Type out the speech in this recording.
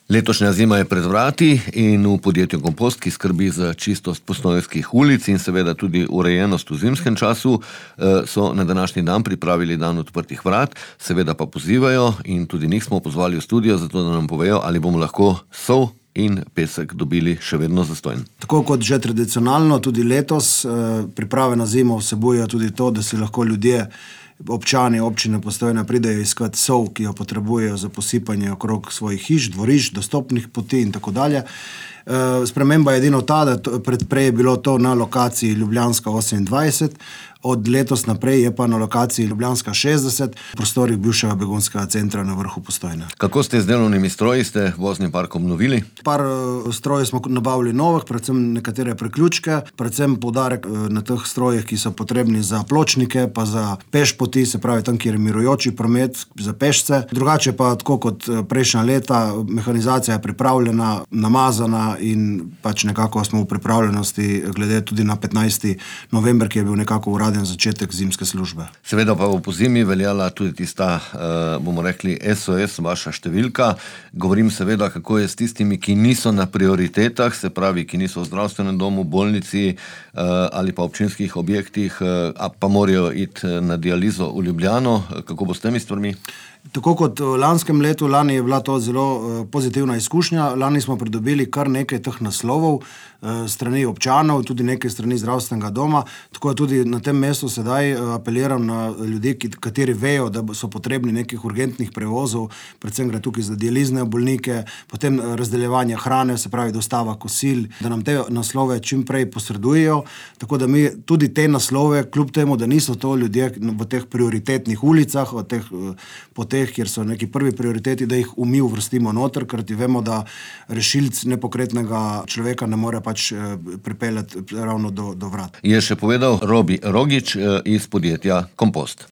Letošnja zima je pred vrati in v podjetju Kompost, ki skrbi za čistost postojnskih ulic in seveda tudi urejenost v zimskem času, so na današnji dan pripravili dan odprtih vrat, seveda pa pozivajo in tudi njih smo pozvali v studio, zato da nam povejo, ali bomo lahko sol in pesek dobili še vedno zastonj. Tako kot že tradicionalno, tudi letos priprave na zimo vsebujejo tudi to, da si lahko ljudje, občani občine Postojna pridejo iskat sol, ki jo potrebujejo za posipanje okrog svojih hiš, dvorišč, dostopnih poti in tako dalje. Sprememba je edino ta, da prej je bilo to na lokaciji Ljubljanska 28, od letos naprej je pa na lokaciji Ljubljanska 60, v prostorih bivšega begunskega centra na vrhu Postojne. Kako ste z delovnimi stroji, ste vozni park obnovili? Par strojev smo nabavili novih, predvsem nekatere priključke, predvsem poudarek na teh strojih, ki so potrebni za pločnike, pa za pešpoti, se pravi tam, kjer je mirujoči promet za pešce. Drugače pa, tako kot prejšnja leta, mehanizacija je pripravljena, namazana in pač nekako smo v pripravljenosti glede tudi na 15. november, ki je bil nekako uraden začetek zimske službe. Seveda pa v pozimi veljala tudi tista, bomo rekli, SOS, vaša številka. Govorim seveda, kako je s tistimi, ki niso na prioritetah, se pravi, ki niso v zdravstvenem domu, bolnici ali pa občinskih objektih, pa morajo iti na dializo v Ljubljano. Kako bo s temi stvarmi? Tako kot v lanskem letu, lani je bila to zelo pozitivna izkušnja. Lani smo pridobili kar nekaj teh naslovov strani občanov, tudi nekaj strani zdravstvenega doma. Tako tudi na tem mestu sedaj apeliram na ljudi, kateri vejo, da so potrebni nekih urgentnih prevozov, predvsem gre tukaj za dializne bolnike, potem razdeljevanje hrane, se pravi dostava kosil, da nam te naslove čim prej posredujejo, tako da mi tudi te naslove, kljub temu, da niso to ljudje v teh prioritetnih ulicah, v teh poteh, kjer so neki prvi prioriteti, da jih mi uvrstimo noter, ker ti vemo, da rešilc nepokretnega človeka ne more pač pripeljati ravno do vrat. Je še povedal Robi Rogič iz podjetja Kompost.